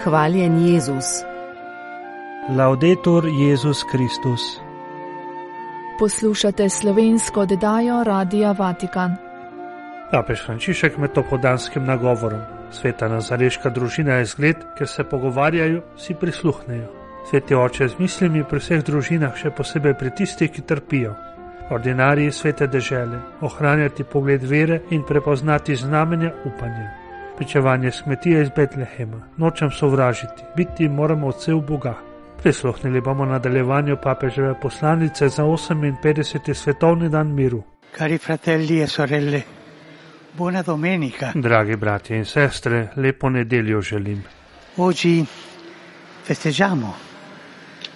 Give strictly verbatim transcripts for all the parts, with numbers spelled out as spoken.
Hvaljen Jezus. Laudetur Jezus Kristus. Poslušate slovensko oddajo Radia Vatikan. Papež Frančišek med topodanskim nagovorom. Sveta nazareška družina je zgled, ker se pogovarjajo, si prisluhnejo. Sveti oče z mislimi pri vseh družinah, še posebej pri tistih, ki trpijo. Ordinariji svete dežele, ohranjati pogled vere in prepoznati znamenja upanja. Pričevanje s kmetije iz Betlehema, nočem sovražiti, biti moramo odsev Boga. Prisluhnili bomo nadaljevanju papeževe poslanice za oseminpetdeseti svetovni dan miru. Cari fratelli e sorelle, buona domenica. Dragi bratje in sestre, lepo nedeljo želim. Oggi festeggiamo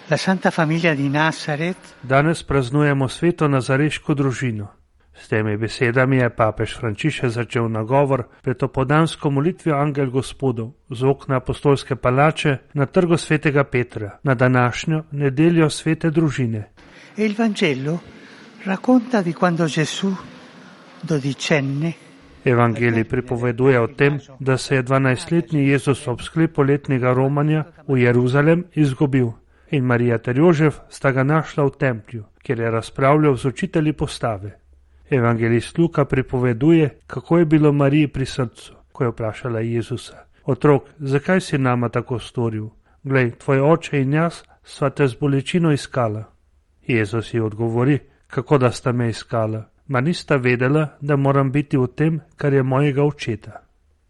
la Santa Famiglia di Nazaret. Danes praznujemo sveto nazareško družino. S temi besedami je papež Frančišek začel nagovor pred opodansko molitvijo Angel Gospodov z okna apostolske palače na trgu svetega Petra na današnjo nedeljo svete družine. E il Vangelo racconta di quando Gesù, dodicenne, Evangelij pripoveduje o tem, da se je dvanajstletni Jezus ob sklepu letnega romanja v Jeruzalem izgubil in Marija ter Jožef sta ga našla v templju, kjer je razpravljal z učitelji postave. Evangelist Luka pripoveduje, kako je bilo Mariji pri srcu, ko je vprašala Jezusa: Otrok, zakaj si nama tako storil? Glej, tvoj oče in jaz sva te z bolečino iskala. Jezus ji odgovori: kako da sta me iskala? Ma nista vedela, da moram biti v tem, kar je mojega očeta.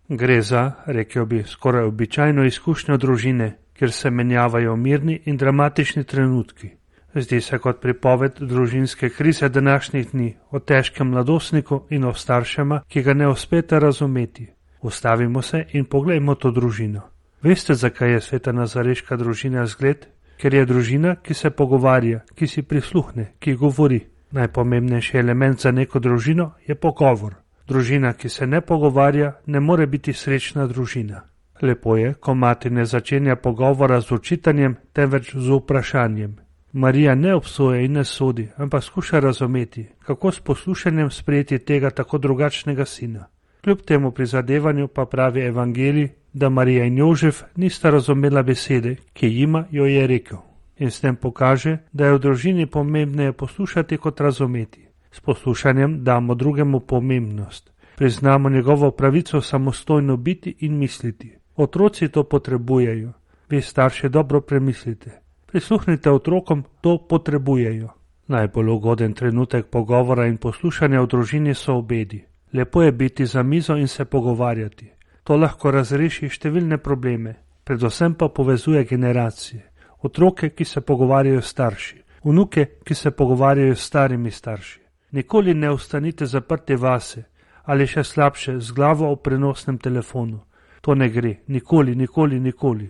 Gre za, rekel bi, skoraj običajno izkušnjo družine, kjer se menjavajo mirni in dramatični trenutki. Zdi se kot pripoved družinske krize današnjih dni, o težkem mladostniku in o staršema, ki ga ne uspete razumeti. Ustavimo se in poglejmo to družino. Veste, zakaj je sveta nazareška družina zgled? Ker je družina, ki se pogovarja, ki si prisluhne, ki govori. Najpomembnejši element za neko družino je pogovor. Družina, ki se ne pogovarja, ne more biti srečna družina. Lepo je, ko mati ne začenja pogovora z očitanjem, temveč z vprašanjem. Marija ne obsoja in ne sodi, ampak skuša razumeti, kako s poslušanjem sprejeti tega tako drugačnega sina. Kljub temu prizadevanju pa pravi Evangelij, da Marija in Jožef nista razumela besede, ki jima jo je rekel. In s tem pokaže, da je v družini pomembneje poslušati kot razumeti. S poslušanjem damo drugemu pomembnost. Priznamo njegovo pravico samostojno biti in misliti. Otroci to potrebujejo. Vi starši dobro premislite. Prisluhnite otrokom, to potrebujejo. Najbolj ugoden trenutek pogovora in poslušanja v družini so obedi. Lepo je biti za mizo in se pogovarjati. To lahko razreši številne probleme, predvsem pa povezuje generacije. Otroke, ki se pogovarjajo s starši, vnuke, ki se pogovarjajo s starimi starši. Nikoli ne ostanite zaprti vase ali še slabše z glavo v prenosnem telefonu. To ne gre, nikoli, nikoli, nikoli.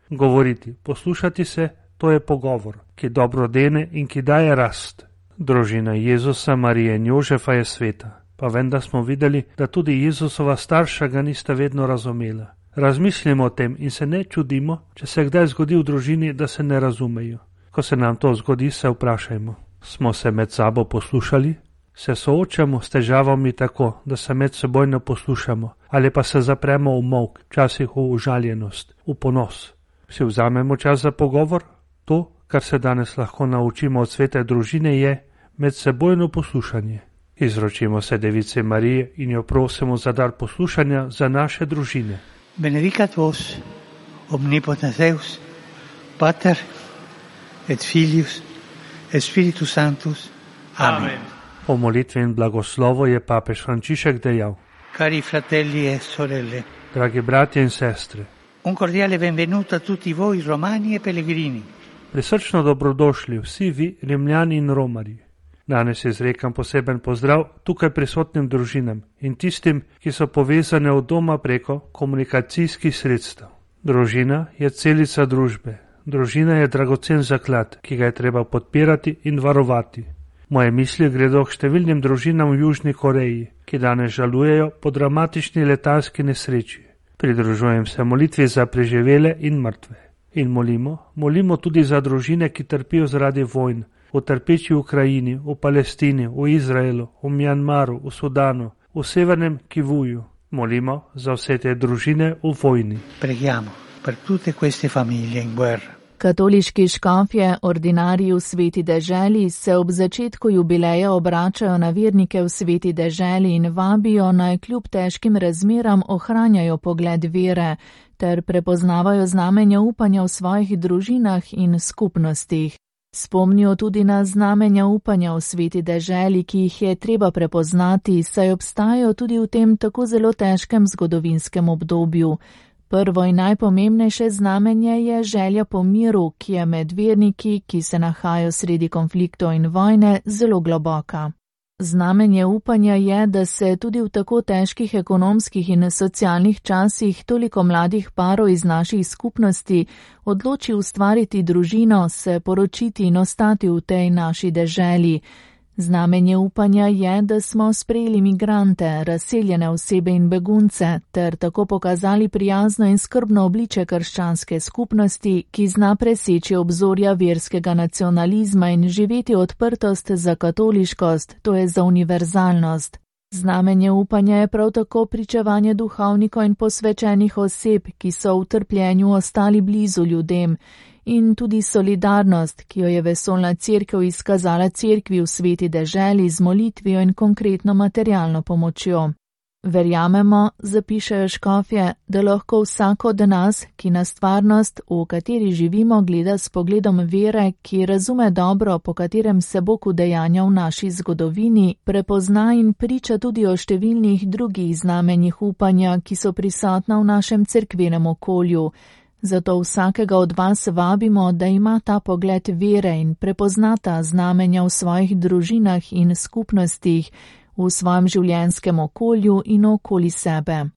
Govoriti, poslušati se, to je pogovor, ki dobro dene in ki daje rast. Družina Jezusa, Marije in Jožefa je sveta, pa vendar smo videli, da tudi Jezusova starša ga nista vedno razumela. Razmislimo o tem in se ne čudimo, če se kdaj zgodi v družini, da se ne razumejo. Ko se nam to zgodi, se vprašajmo: smo se med sabo poslušali? Se soočamo s težavami tako, da se med seboj ne poslušamo, ali pa se zapremo v molk, včasih v užaljenost, v ponos? Si vzamemo čas za pogovor? To, kar se danes lahko naučimo od svete družine, je medsebojno poslušanje. Izročimo se Devici Mariji in jo prosimo za dar poslušanja za naše družine. Benedicat vos, omnipotens Deus, Pater et Filius et Spiritus Sanctus. Amen. Amen. Po molitvi in blagoslovu je papež Frančišek dejal: Cari fratelli e sorelle, dragi bratje in sestre, un cordiale benvenuto a tutti voi romani e pellegrini. Prisrčno dobrodošli vsi vi, Rimljani in Romarji. Danes izrekam poseben pozdrav tukaj prisotnim družinam in tistim, ki so povezane od doma preko komunikacijskih sredstev. Družina je celica družbe. Družina je dragocen zaklad, ki ga je treba podpirati in varovati. Moje misli gredo k številnim družinam v Južni Koreji, ki danes žalujejo po dramatični letalski nesreči. Pridružujem se molitvi za preživele in mrtve. In molimo, molimo tudi za družine, ki trpijo zaradi vojn, v trpeči Ukrajini, v Palestini, v Izraelu, v Mjanmaru, v Sudanu, v Severnem Kivuju. Molimo za vse te družine v vojni. Preghiamo. per tutte queste famiglie in guerra. Katoliški škofje, ordinarji v Sveti deželi, se ob začetku jubileja obračajo na vernike v Sveti deželi in vabijo, naj kljub težkim razmeram ohranjajo pogled vere ter prepoznavajo znamenja upanja v svojih družinah in skupnostih. Spomnijo tudi na znamenja upanja v Sveti deželi, ki jih je treba prepoznati, saj obstajajo tudi v tem tako zelo težkem zgodovinskem obdobju. Prvo in najpomembnejše znamenje je želja po miru, ki je med verniki, ki se nahajajo sredi konfliktov in vojne, zelo globoka. Znamenje upanja je, da se tudi v tako težkih ekonomskih in socialnih časih toliko mladih parov iz naših skupnosti odloči ustvariti družino, se poročiti in ostati v tej naši deželi. Znamenje upanja je, da smo sprejeli migrante, razseljene osebe in begunce, ter tako pokazali prijazno in skrbno obliče krščanske skupnosti, ki zna preseči obzorja verskega nacionalizma in živeti odprtost za katoliškost, to je za univerzalnost. Znamenje upanja je prav tako pričevanje duhovnikov in posvečenih oseb, ki so v trpljenju ostali blizu ljudem, in tudi solidarnost, ki jo je vesoljna cerkev izkazala cerkvi v Sveti deželi z molitvijo in konkretno materialno pomočjo. Verjamemo, zapišejo škofje, da lahko vsak od nas, ki na stvarnost, v kateri živimo, gleda s pogledom vere, ki razume dobro, po katerem se Bog udejanja v naši zgodovini, prepozna in priča tudi o številnih drugih znamenjih upanja, ki so prisotna v našem cerkvenem okolju. Zato vsakega od vas vabimo, da ima ta pogled vere in prepoznata znamenja v svojih družinah in skupnostih, v svojem življenjskem okolju in okoli sebe.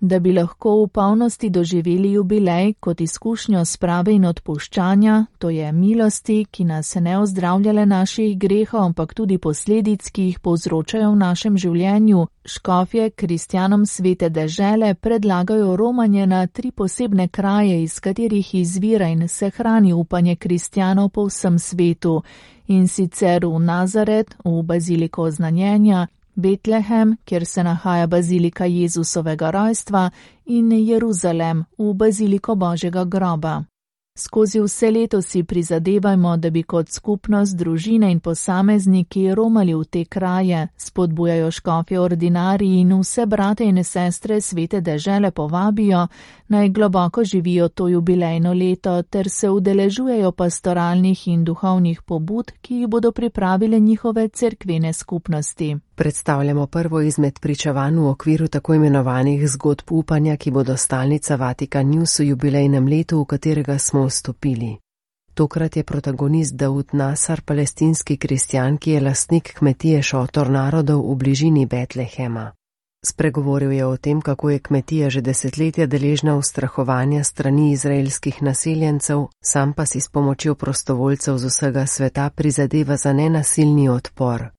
Da bi lahko v polnosti doživeli jubilej kot izkušnjo sprave in odpuščanja, to je milosti, ki nas ne ozdravljale naših grehov, ampak tudi posledic, ki jih povzročajo v našem življenju, škofje kristjanom Svete dežele predlagajo romanje na tri posebne kraje, iz katerih izvira in se hrani upanje kristjanov po vsem svetu, in sicer v Nazaret, v baziliko Oznanjenja, Betlehem, kjer se nahaja bazilika Jezusovega rojstva, in Jeruzalem, v baziliko Božjega groba. Skozi vse leto si prizadevajmo, da bi kot skupnost, družine in posamezniki romali v te kraje, spodbujajo škofje ordinariji in vse brate in sestre Svete dežele povabijo, naj globoko živijo to jubilejno leto ter se udeležujejo pastoralnih in duhovnih pobud, ki jih bodo pripravile njihove cerkvene skupnosti. Predstavljamo prvo izmed pričevanj v okviru tako imenovanih zgodb upanja, ki bodo stalnica Vatikan News v jubilejnem letu, v katerega smo vstopili. Tokrat je protagonist Daud Nasar, palestinski kristjan, ki je lastnik kmetije Šotor narodov v bližini Betlehema. Spregovoril je o tem, kako je kmetija že desetletja deležna ustrahovanja strani izraelskih naseljencev, sam pa si s pomočjo prostovoljcev z vsega sveta prizadeva za nenasilni odpor.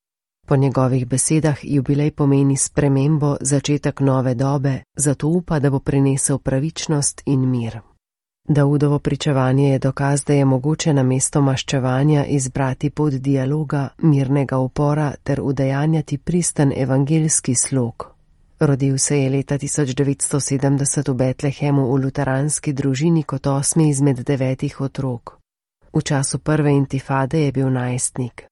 Po njegovih besedah jubilej pomeni spremembo, začetek nove dobe, zato upa, da bo prinesel pravičnost in mir. Daudovo pričevanje je dokaz, da je mogoče namesto maščevanja izbrati pot dialoga, mirnega upora ter udejanjati pristen evangeljski slog. Rodil se je leta tisoč devetsto sedemdeset v Betlehemu v luteranski družini kot osmi izmed devetih otrok. V času prve intifade je bil najstnik.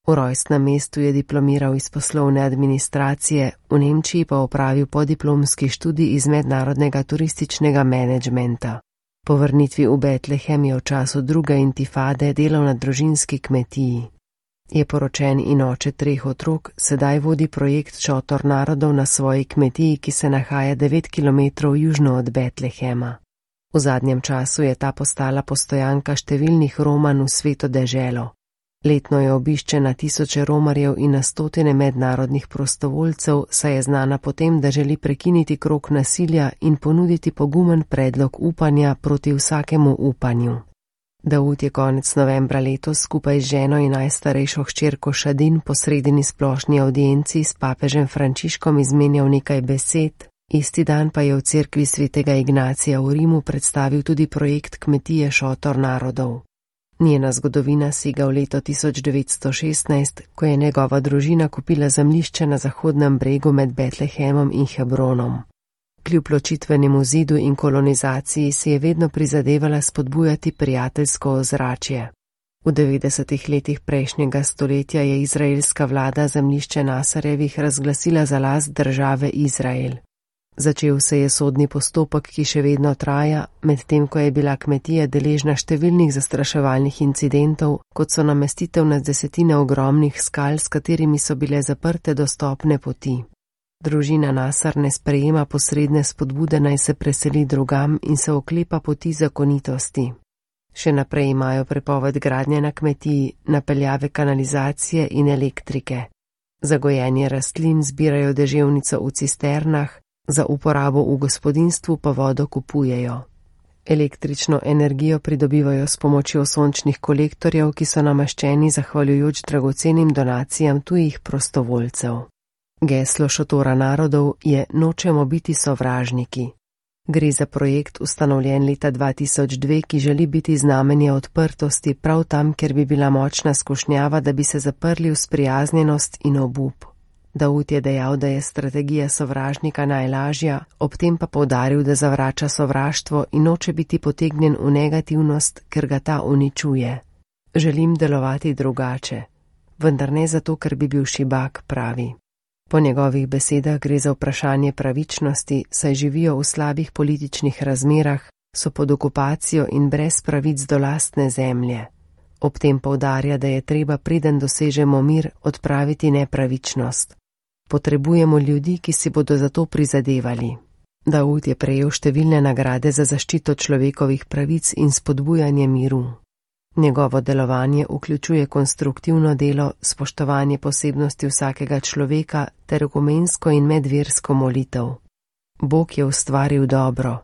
V rojstnem mestu je diplomiral iz poslovne administracije, v Nemčiji pa opravil podiplomski študij iz mednarodnega turističnega menedžmenta. Po vrnitvi v Betlehem je v času druge intifade delal na družinski kmetiji. Je poročen in oče treh otrok, sedaj vodi projekt Šotor narodov na svoji kmetiji, ki se nahaja devet kilometrov južno od Betlehema. V zadnjem času je ta postala postojanka številnih romanj v Sveto deželo. Letno je obišče na tisoče romarjev in na stotine mednarodnih prostovoljcev, saj je znana potem, da želi prekiniti krog nasilja in ponuditi pogumen predlog upanja proti vsakemu upanju. Daud je konec novembra letos skupaj z ženo in najstarejšo hčerko Šadin po sredini splošni audienci s papežem Frančiškom izmenjal nekaj besed, isti dan pa je v cerkvi svetega Ignacija v Rimu predstavil tudi projekt kmetije Šotor narodov. Njena zgodovina sega v leto tisoč devetsto šestnajst, ko je njegova družina kupila zemljišče na zahodnem bregu med Betlehemom in Hebronom. Kljub ločitvenemu zidu in kolonizaciji si je vedno prizadevala spodbujati prijateljsko ozračje. V devetdesetih letih prejšnjega stoletja je izraelska vlada zemljišče Nasarjevih razglasila za last države Izrael. Začel se je sodni postopek, ki še vedno traja, medtem ko je bila kmetija deležna številnih zastraševalnih incidentov, kot so namestitev na desetine ogromnih skal, s katerimi so bile zaprte dostopne poti. Družina Nasar ne sprejema posredne spodbude, naj se preseli drugam in se oklepa poti zakonitosti. Še naprej imajo prepoved gradnje na kmetiji, napeljave kanalizacije in elektrike. Za gojenje rastlin zbirajo deževnico v cisternah, za uporabo v gospodinjstvu pa vodo kupujejo. Električno energijo pridobivajo s pomočjo sončnih kolektorjev, ki so namaščeni zahvaljujoč dragocenim donacijam tujih prostovoljcev. Geslo šotora narodov je Nočemo biti sovražniki. Gre za projekt ustanovljen leta dva tisoč dve, ki želi biti znamenje odprtosti prav tam, kjer bi bila močna skušnjava, da bi se zaprli v sprijaznjenost in obup. Daud je dejal, da je strategija sovražnika najlažja, ob tem pa poudaril, da zavrača sovraštvo in noče biti potegnjen v negativnost, ker ga ta uničuje. Želim delovati drugače, vendar ne zato, ker bi bil šibak, pravi. Po njegovih besedah gre za vprašanje pravičnosti, saj živijo v slabih političnih razmerah, so pod okupacijo in brez pravic do lastne zemlje. Ob tem poudarja, da je treba, preden dosežemo mir, odpraviti nepravičnost. Potrebujemo ljudi, ki si bodo za to prizadevali. Daud je prejel številne nagrade za zaščito človekovih pravic in spodbujanje miru. Njegovo delovanje vključuje konstruktivno delo, spoštovanje posebnosti vsakega človeka ter ekumensko in medversko molitev. Bog je ustvaril dobro,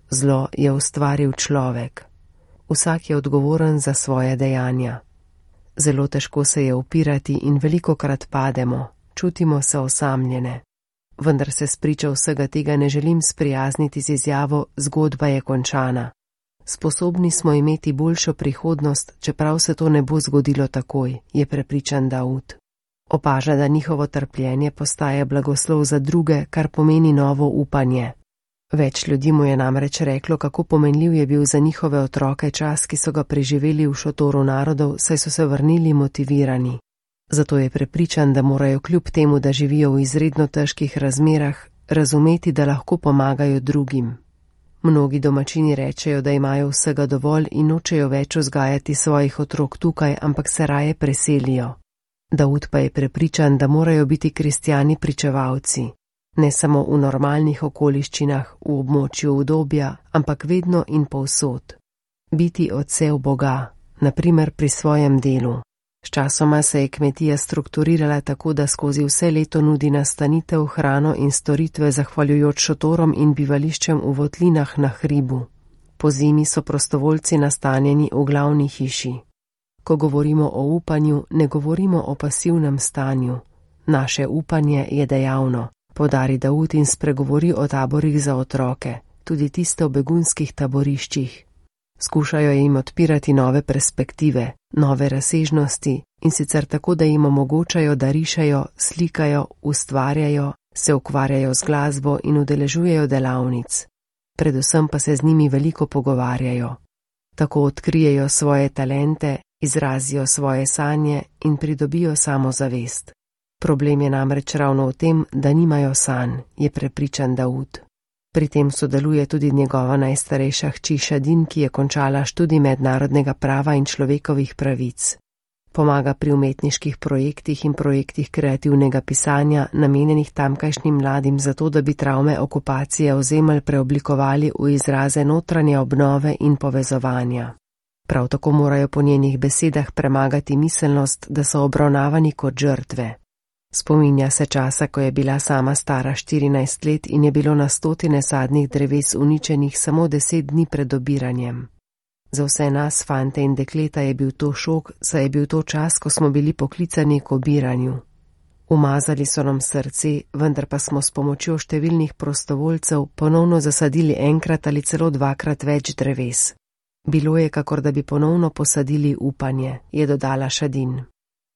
zlo je ustvaril človek. Vsak je odgovoren za svoje dejanja. Zelo težko se je upirati in velikokrat pademo, čutimo se osamljene. Vendar se spriča vsega tega ne želim sprijazniti z izjavo zgodba je končana. Sposobni smo imeti boljšo prihodnost, čeprav se to ne bo zgodilo takoj, je prepričan Daud. Opaža, da njihovo trpljenje postaje blagoslov za druge, kar pomeni novo upanje. Več ljudi mu je namreč reklo, kako pomenljiv je bil za njihove otroke čas, ki so ga preživeli v šotoru narodov, saj so se vrnili motivirani. Zato je prepričan, da morajo kljub temu, da živijo v izredno težkih razmerah, razumeti, da lahko pomagajo drugim. Mnogi domačini rečejo, da imajo vsega dovolj in nočejo več vzgajati svojih otrok tukaj, ampak se raje preselijo. Daud pa je prepričan, da morajo biti kristjani pričevalci, ne samo v normalnih okoliščinah, v območju udobja, ampak vedno in povsod. Biti odsev Boga, naprimer pri svojem delu. Sčasoma se je kmetija strukturirala tako, da skozi vse leto nudi nastanitev, hrano in storitve zahvaljujoč šotorom in bivališčem v votlinah na hribu. Po zimi so prostovoljci nastanjeni v glavni hiši. Ko govorimo o upanju, ne govorimo o pasivnem stanju. Naše upanje je dejavno, poudari Daud in spregovori o taborih za otroke, tudi tiste v begunskih taboriščih. Skušajo jim odpirati nove perspektive, nove razsežnosti in sicer tako, da jim omogočajo, da rišejo, slikajo, ustvarjajo, se ukvarjajo z glasbo in udeležujejo delavnic. Predvsem pa se z njimi veliko pogovarjajo. Tako odkrijejo svoje talente, izrazijo svoje sanje in pridobijo samozavest. Problem je namreč ravno v tem, da nimajo sanj, je prepričan Daud. Pri tem sodeluje tudi njegova najstarejša hči Šadin, ki je končala študij mednarodnega prava in človekovih pravic. Pomaga pri umetniških projektih in projektih kreativnega pisanja, namenjenih tamkajšnjim mladim zato, da bi travme okupacije ozemelj preoblikovali v izraze notranje obnove in povezovanja. Prav tako morajo po njenih besedah premagati miselnost, da so obravnavani kot žrtve. Spominja se časa, ko je bila sama stara štirinajst let in je bilo na stotine sadnih dreves uničenih samo deset dni pred obiranjem. Za vse nas, fante in dekleta, je bil to šok, saj je bil to čas, ko smo bili poklicani k obiranju. Umazali so nam srce, vendar pa smo s pomočjo številnih prostovoljcev ponovno zasadili enkrat ali celo dvakrat več dreves. Bilo je, kakor da bi ponovno posadili upanje, je dodala Šadin.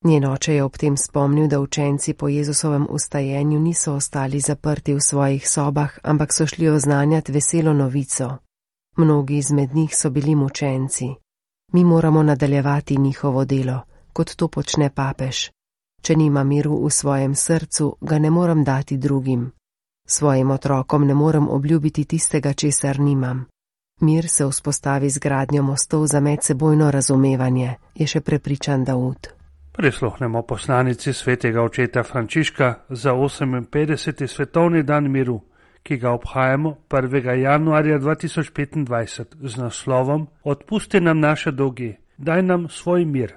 Njen oče je ob tem spomnil, da učenci po Jezusovem ustajenju niso ostali zaprti v svojih sobah, ampak so šli oznanjati veselo novico. Mnogi izmed njih so bili mučenci. Mi moramo nadaljevati njihovo delo, kot to počne papež. Če nima miru v svojem srcu, ga ne morem dati drugim. Svojim otrokom ne morem obljubiti tistega, česar nimam. Mir se vzpostavi z gradnjo mostov za medsebojno razumevanje, je še prepričan Daud. Prisluhnemo poslanici svetega očeta Frančiška za oseminpetdeseti svetovni dan miru, ki ga obhajamo prvega januarja dva tisoč petindvajset z naslovom Odpusti nam naše dolge, daj nam svoj mir.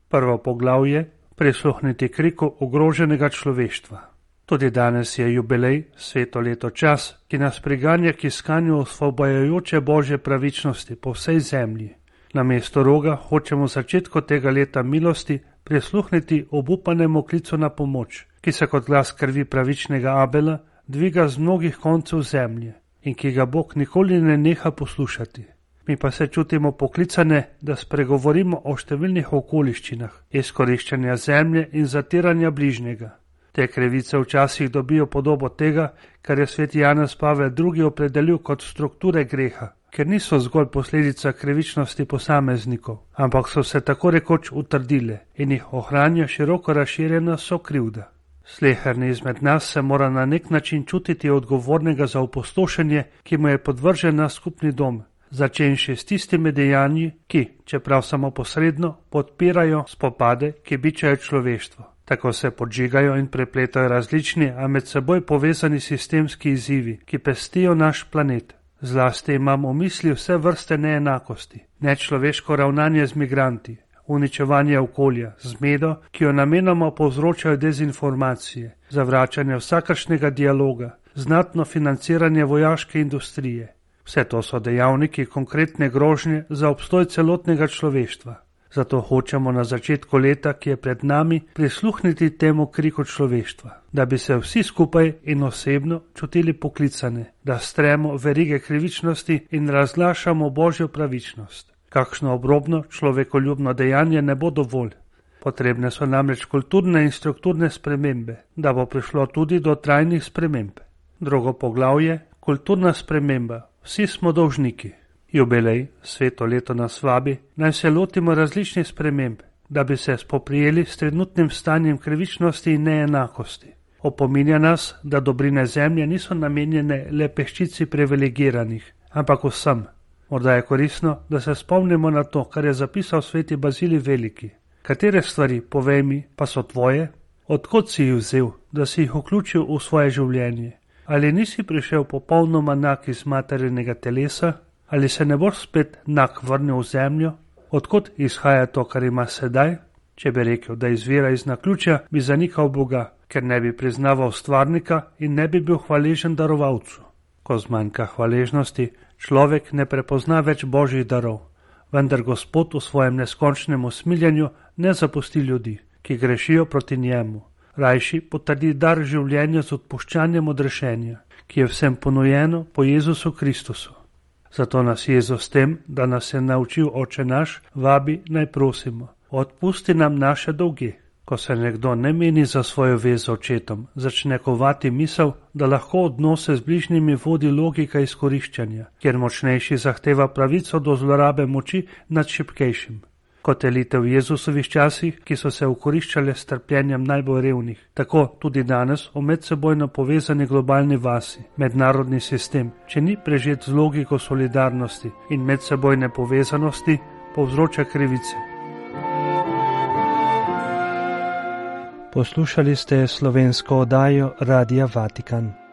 Prvo poglavje: prisluhniti kriku ogroženega človeštva. Tudi danes je jubilej, sveto leto čas, ki nas priganja k iskanju osvobajajoče božje pravičnosti po vsej zemlji. Namesto roga hočemo v začetku tega leta milosti prisluhniti obupanemu klicu na pomoč, ki se kot glas krvi pravičnega Abela dviga z mnogih koncev zemlje in ki ga Bog nikoli ne neha poslušati. Mi pa se čutimo poklicane, da spregovorimo o številnih okoliščinah izkoriščanja zemlje in zatiranja bližnjega. Te krivice včasih dobijo podobo tega, kar je sveti Janez Pavel drugi opredelil kot strukture greha, ker niso zgolj posledica krivičnosti posameznikov, ampak so se tako rekoč utrdile in jih ohranja široko razširjena sokrivda. Sleherni izmed nas se mora na nek način čutiti odgovornega za opustošenje, ki mu je podvržen naš skupni dom, začenši s tistimi dejanji, ki, čeprav samo posredno, podpirajo spopade, ki bičajo človeštvo. Tako se podžigajo in prepletajo različni, a med seboj povezani sistemski izzivi, ki pestijo naš planet. Zlasti imam v misli vse vrste neenakosti, nečloveško ravnanje z migranti, uničevanje okolja, zmedo, ki jo namenoma povzročajo dezinformacije, zavračanje vsakršnega dialoga, znatno financiranje vojaške industrije. Vse to so dejavniki konkretne grožnje za obstoj celotnega človeštva. Zato hočemo na začetku leta, ki je pred nami, prisluhniti temu kriku človeštva, da bi se vsi skupaj in osebno čutili poklicane, da stremo verige krivičnosti in razglašamo božjo pravičnost. Kakšno obrobno človekoljubno dejanje ne bo dovolj. Potrebne so namreč kulturne in strukturne spremembe, da bo prišlo tudi do trajnih sprememb. Drugo poglavje: kulturna sprememba. Vsi smo dolžniki. Jubilej, sveto leto nas vabi, naj se lotimo različnih sprememb, da bi se spoprijeli s trenutnim stanjem krivičnosti in neenakosti. Opominja nas, da dobrine zemlje niso namenjene le peščici privilegiranih, ampak vsem. Morda je koristno, da se spomnimo na to, kar je zapisal sveti Bazilij Veliki. Katere stvari, povej mi, pa so tvoje? Odkot si jih vzel, da si jih vključil v svoje življenje? Ali nisi prišel popolnoma nak iz materinega telesa? Ali se ne boš spet nak vrnil v zemljo? Odkot izhaja to, kar ima sedaj? Če bi rekel, da izvira iz naključja, bi zanikal Boga, ker ne bi priznaval stvarnika in ne bi bil hvaležen darovalcu. Ko zmanjka hvaležnosti, človek ne prepozna več božjih darov, vendar Gospod v svojem neskončnem usmiljanju ne zapusti ljudi, ki grešijo proti njemu. Rajši potrdi dar življenja z odpuščanjem odrešenja, ki je vsem ponujeno po Jezusu Kristusu. Zato nas Jezus s tem, da nas je naučil Oče naš, vabi naj prosimo: odpusti nam naše dolge. Ko se nekdo ne meni za svojo vez z očetom, začne kovati misel, da lahko odnose z bližnjimi vodi logika izkoriščanja, kjer močnejši zahteva pravico do zlorabe moči nad šibkejšim. Kot elite v Jezusovih časih, ki so se ukoriščale s trpljenjem najbolj revnih, tako tudi danes v medsebojno povezani globalni vasi, mednarodni sistem, če ni prežet z logiko solidarnosti in medsebojne povezanosti, povzroča krivice. Poslušali ste slovensko oddajo Radia Vatikan.